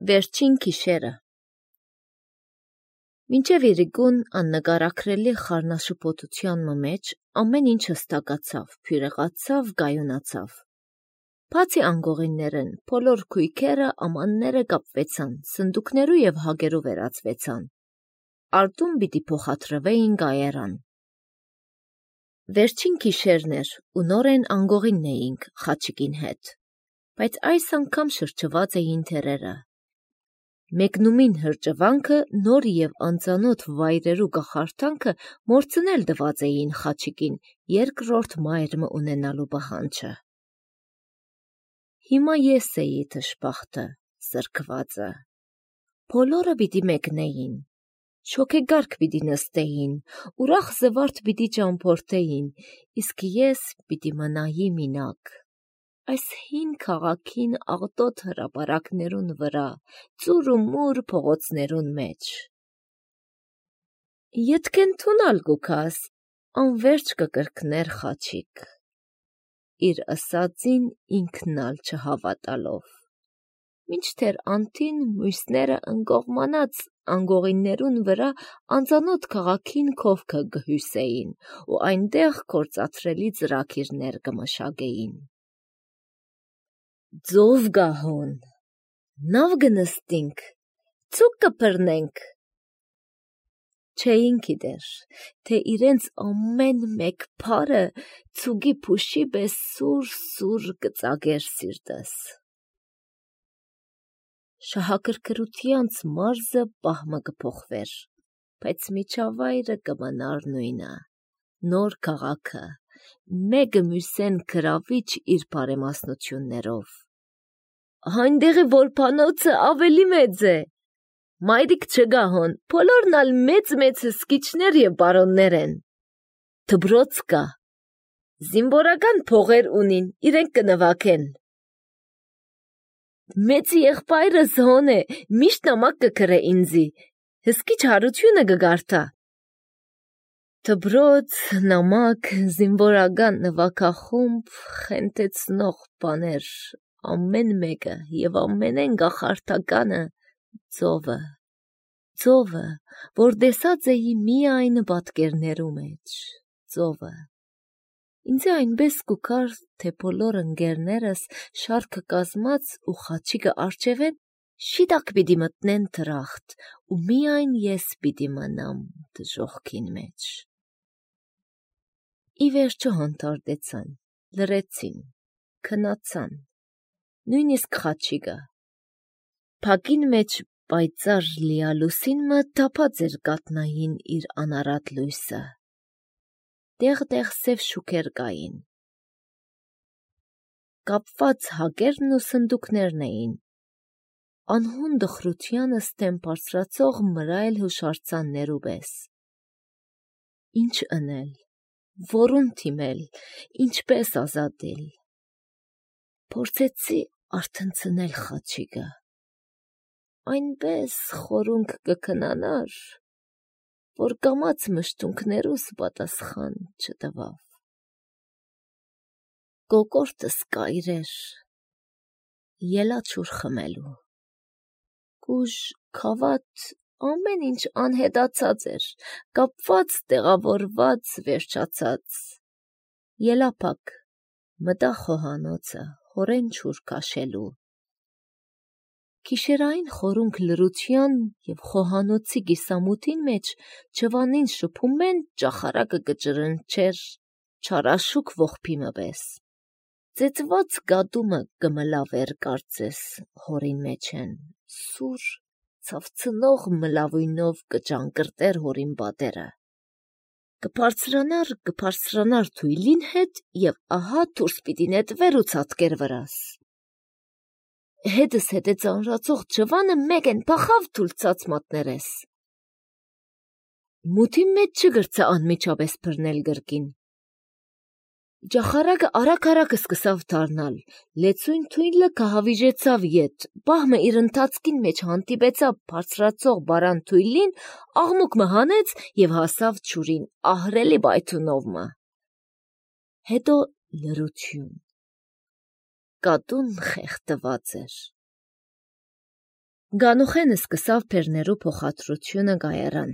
Վերջին գիշերը Մինչև իրիկուն աննկարագրելի խառնաշփոթության մեջ ամեն ինչ հստակացավ, փյուրեղացավ, գայունացավ։ Բացի անգողիններն, բոլոր քույքերը, ամանները կապվեցան, սնդուկներու և հագերու վերածվեցան։ Արտում պիտի փոխադրվեին գայարան։ Վերջին գիշերն էր ու նորեն անգողինն էինք Խաչիկին հետ, բայց այս անգամ շրջված էին թեռերը։ Մեկնումին հրճվանքը, նոր և անծանոթ վայրերու կախարդանքը մորցնել տված էին Խաչիկին երկրորդ մայրը ունենալու պահանջը։ Հիմա ես էի դժբախտը, զրկվածը։ Բոլորը պիտի մեկնեին, շոգեգարկ պիտի նստեին, ուրախ զվարթ պիտի ճամփորդեին, իսկ ես պիտի մնայի մինակ։ Այս հին քաղաքին աղտոտ հրապարակներուն վրա, ծուր ու մուր փողոցներուն մեջ։ Ետքեն թունալ գուքաս, անվերջ կկրկներ Խաչիկ, իր ըսածին ինքնալ չհավատալով, մինչդեռ անթին մույսները ընկողմանած անգողիններուն վրա անծանոթ քաղաքին քովքը կհյուսեին ու այնտեղ կործածրելի ծրագիրներ կմշակեին։ Ձով գահոն, նավ գնստինք, ցուկ կբռնենք։ Չէին գիտեր, թե իրենց ամեն մեկ փարը ցուկի փուշի պես սուր կծագեր սիրտս։ Շահագրգռությանց մարզը պահմը կփոխվեր, բայց միջավայրը կմնար նույնը, նոր քաղաքը, մեկը մյուսեն գրավիչ իր բարեմասնություններով։ Այնտեղի որբանոցը ավելի մեծ է, մայրիկ չգահոն, բոլորն ալ մեծ հսկիչներ և բարոններ են։ Դբրոց կա, զինվորական փողեր ունին, իրենք կնվագեն։ Մեծի եղբայրս հոն է, միշտ նամակ կգրե ինձի, հսկիչ հարությունը կգարդա։ Դբրոց, նամակ, զինվորական նվագախումբ, խենթեցնող բաներ, ամեն մեկը և ամենեն կախարդականը ծովը, որ տեսած էի միայն պատկերներու մեջ, ծովը։ Ինձ այնպես կուքար, թե բոլոր ընկերներս շարքը կազմած ու Խաչիկը առջևեն շիտակ պիտի մտնեն դրախտ ու միայն ես պիտի մնամ դժոխքին մեջ։ Ի վերջո հանդարտեցան, լռեցին, քնացան, նույնիսկ Խաչիկը։ Փակին մեջ պայծառ լիալուսինը թափած էր կաթնային իր անարատ լույսը։ Տեղ սև շուքեր կային։ Կապված հակերն ու սնդուկներն էին։ Անհուն դխրությանը ստեմ բարձրացող մրայլ հուշարձաններու պես։ Ինչ ընել, որուն թիմել, ինչպես ազատել։ Փորձեցի արթնցնել Խաչիկը։ Այնպես խորունկ կքնանար, որ կամաց մշտունքներուս պատասխան չտվավ։ Կոկորդս կայրեր, ելա ջուր խմելու։ Կուժ, քավաթ, ամեն ինչ անհետացած էր, կապված, տեղավորված, վերջացած։ Ելա փակ, մտա խոհանոցը, հորեն ջուր քաշելու։ Գիշերային խորունկ լռության և խոհանոցի կիսամութին մեջ ջվանին շփումեն ճախարակը կջրնչեր չարաշուկ ողբիմը պես։ Ծեծված գադումը կմլավեր կարծես հորին մեջեն, սուր, ցավցնող մլավույնով կճանկրտեր հորին պատերը։ Կբարձրանար թույլին հետ և ահա դուրս պիտի նետվեր ու ցատկեր վրաս։ Հետս հետե ծանրացող ջվանը մեկեն փախավ թուլցած մատներես։ Մութի մեջ չգրծա անմիջապես բռնել գրկին։ Ճախարակը արագ սկսավ դառնալ, լեցուն թույլը կհավիժեցավ ետ, պահմը իր ընթացքին մեջ հանդիպեցավ բարձրացող բարան թույլին, աղմուկ մը հանեց և հասավ ջուրին ահռելի պայթունով մը։ Հետո լռություն։ Կատուն խեղդված էր։ Գանուխենը սկսավ բերներու փոխադրությունը գայարան։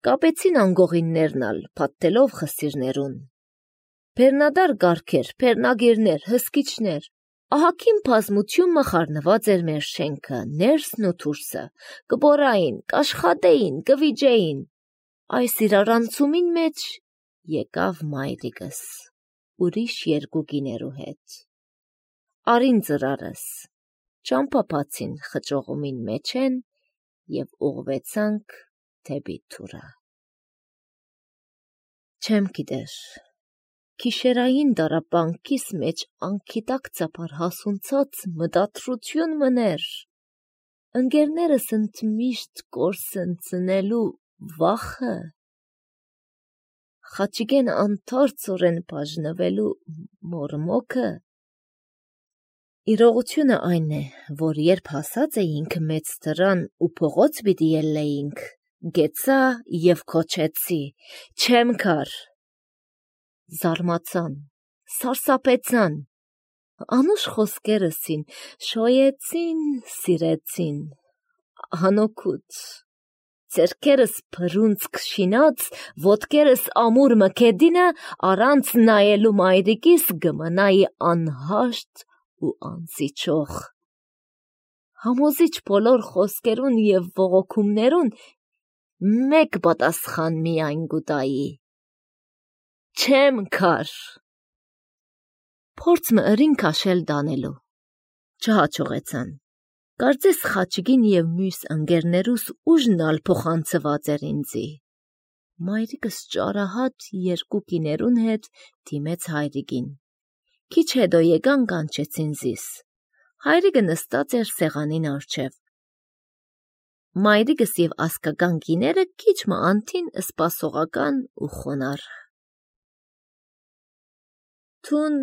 Կապեցին անգողիններն ալ, փաթթելով խսիրներուն։ Բերնադար գարքեր, բերնագիրներ, հսկիչներ, ահագին բազմություն մխարնված էր մեր շենքը, ներսն ու դուրսը, կբորային, կաշխատեին, կվիջեին։ Այս իրարանցումին մեջ եկավ մայրիկս, ուրիշ երկու գիներու հետ։ Արին ծրարս, ճամփապացին խճողումին մեջ են և ուղվեցանք դեպի թուրը։ Չեմ գիտեր, գիշերային դարապանքիս մեջ անկիտակ ծապար հասունցած մտադրություն մներ, ընկերներս ընդմիշտ կորսնցնելու վախը, Խաչիկեն անթարցորեն բաժնվելու մորմոքը։ Իրողությունը այն է, որ երբ հասած էինք մեծ դրան ու փողոց պիտի ելնեինք, գեցա և քոչեցի, չեմ կար։ Զարմացան, սարսափեցան, անուշ խոսքերսին, շոյեցին, սիրեցին, անօգուտ, ձեռքերս փռունցք շինած, ոտքերս ամուր մքեդինը առանց նայելու մայրիկիս գմնայի անհաշտ ու անզիջող։ Համոզիչ բոլոր խոսքերուն և ողոքումներուն մեկ պատասխան միայն գուտայի. չեմ կար։ Փորձ ըրին քաշել դանելու, չհաջողեցան։ Կարծես Խաչիկին և մյուս ընկերներուս ուժն ալ փոխանցված էր ինձի։ Մայրիկս ճարահատ երկու կիներուն հետ դիմեց հայրիկին։ Քիչ հետո եկան կանչեցին զիս։ Հայրիկը նստած էր սեղանին առջև։ Մայրիկս և ասկական կիները քիչ մը անթին սպասողական ու խոնարհ։ Թուն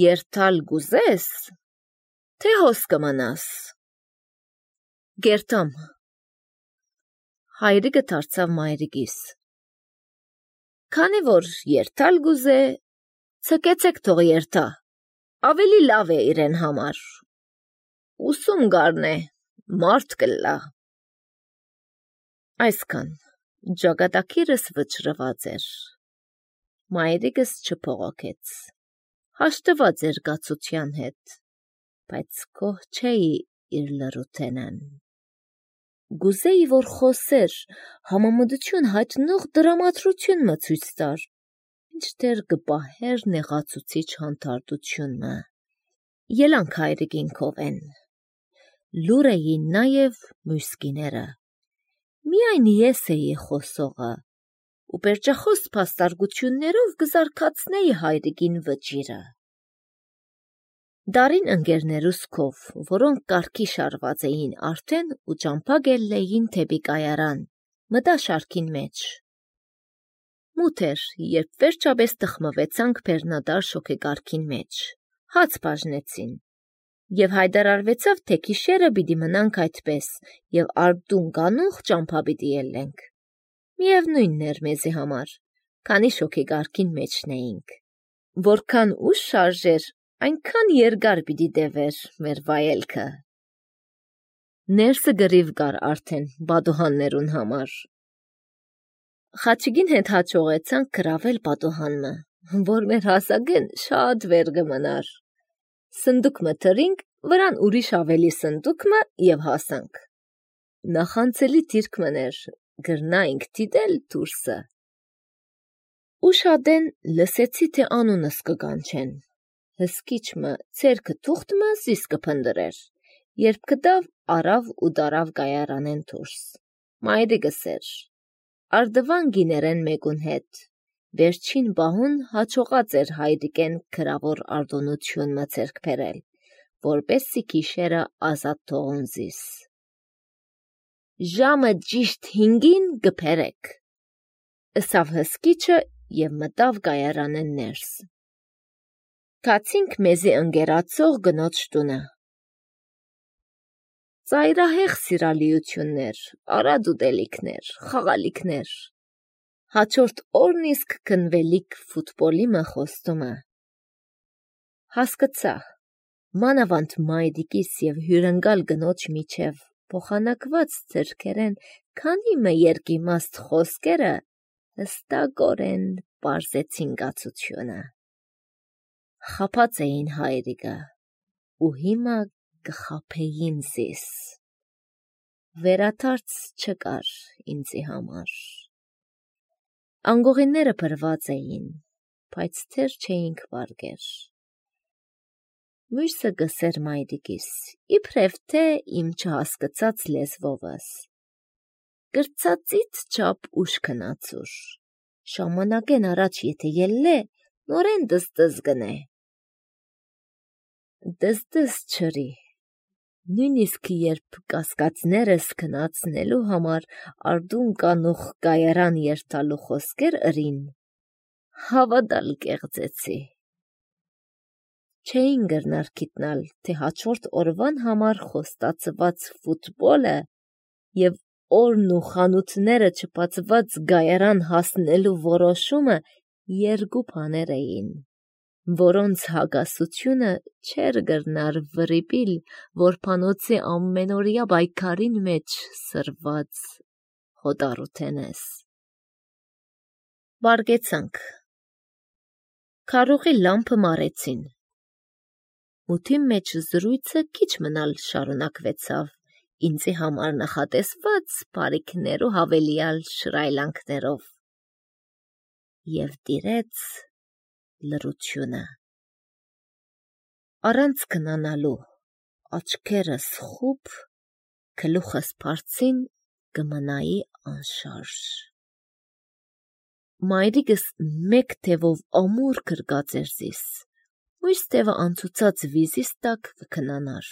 երթալ գուզես, թե հոս կմնաս։ Գերտամ։ Հայրիկը դարձավ մայրիկիս։ Քանի որ երթալ գուզե, ցկեցեք թող երթա, ավելի լավ է իրեն համար։ Ուսում գարնե, մարդ կլա։ Այսքան, ճակատագիրս վճռված էր։ Մայրիկս չփողոքեց, հաշտված էր գացության հետ, բայց գոհ չէի իր լրութենեն։ Գուզեի, որ խոսեր, համամտություն հայտնող դրամատրություն մը ցույց տար, մինչդեռ կպահեր նեղացուցիչ հանդարտությունը։ Ելանք հայրիկին քովեն։ Լուր էին նաև մյուս կիները։ Միայն ես էի խոսողը, ու պերճախոս փաստարկություններով կզարգացնեի հայրիկին վճիռը։ Դարին ընկերներուս քով, որոնք կարգի շարված էին արդեն ու ճամփա գելլեին թեպի կայարան, մտա շարքին մեջ։ Մութ էր, երբ վերջապես տխմվեցանք բերնադար շոգեգարքին մեջ, հաց բաժնեցին, և հայտարարվեցավ, թե գիշերը պիտի մնանք այդպես, և արդուն գանուխ ճամփա պիտի ելնենք։ Միևնույնն էր մեզի համար, քանի շոգեգարքին մեջն էինք։ Որքան ուշ շարժեր, այնքան երկար պիտի տևեր մեր վայելքը։ Ներսը գրիվ կար արդեն պատուհաններուն համար։ Խաչիկին հետ հաջողեցանք գրավել պատուհանը, որ մեր հասակեն շատ վեր կմնար։ Սնդուկ մը թրինք, վրան ուրիշ ավելի սնդուկ մը և հասանք։ Նախանցելի դիրք մներ, գրնայինք դիտել դուրսը։ Ուշադեն լսեցի, թե անունս կկանչեն։ Հսկիչ մը ցերքը թուղթ մը զիս կփնդրեր, երբ կտավ արավ ու դարավ գայարանեն դուրս։ Մայրիկս էր։ Արդվան գիներեն մեկուն հետ։ Վերջին բահուն հաջողած էր հայրիկեն գրավոր արտոնություն մը ձեռք բերել, որպեսզի գիշերը ազատ թողուն զիս։ Ժամը ճիշտ 5-ին կբերեք, ըսավ հսկիչը և մտավ գայարանեն ներս։ Գացինք մեզի ընկերացող գնոջ տունը։ Ծայրահեղ սիրալիություններ, արատ ուտելիքներ, խաղալիքներ։ Հաջորդ օրն իսկ քնվելիք ֆուտբոլի մը խոստումը։ Հասկացա, մանավանդ մայրիկիս և հյուրընկալ գնոջ միջև փոխանակված ձեռքերեն քանի երկիմաստ խոսքերը հստակորեն պարզեցին կացությունը։ Խաբած էին հայրիկը ու հիմա կխաբեին զիս։ Վերադարձ չկար ինձի համար։ Անգողիները բրված էին, բայց թեր չէինք վարգեր։ Մյուսը գսեր մայրիկիս, իբրև թե իմ չհասկացած լեզվովս. «Կրծածից չափ ուշ քնացուր, ժամանակեն առաջ եթե ելլե, նորեն դստս գնե»։ Դստս չրի, նույնիսկ երբ կասկածներս քնացնելու համար արդուն կանուխ կայարան երթալու խոսքեր ըրին, հավատալ կեղծեցի։ Չէին գրնար գիտնալ, թե հաջորդ օրվան համար խոստացված ֆուտբոլը և օրն ու խանութները չբացված գայարան հասնելու որոշումը երկու բաներ էին, որոնց հակասությունը չէր գրնար վրիպիլ որբանոցի ամենօրյա պայքարին մեջ սրված հոտառութենես։ Վարգեցանք։ Քարուղի լամպը մարեցին։ Մութի մեջ զրույցը քիչ մնալ շարունակվեցավ, ինձի համար նախատեսված բարիքներ ու հավելյալ շրայլանքներով։ Եվ տիրեց լռությունը։ Առանց քնանալու, աչքերս խուպ, գլուխս բարձին կմնայի անշարժ։ Մայրիկս մեկ թևով ամուր գրկած էր զիս, մյուս թևը անցուցած վիզիս տակ կքնանար։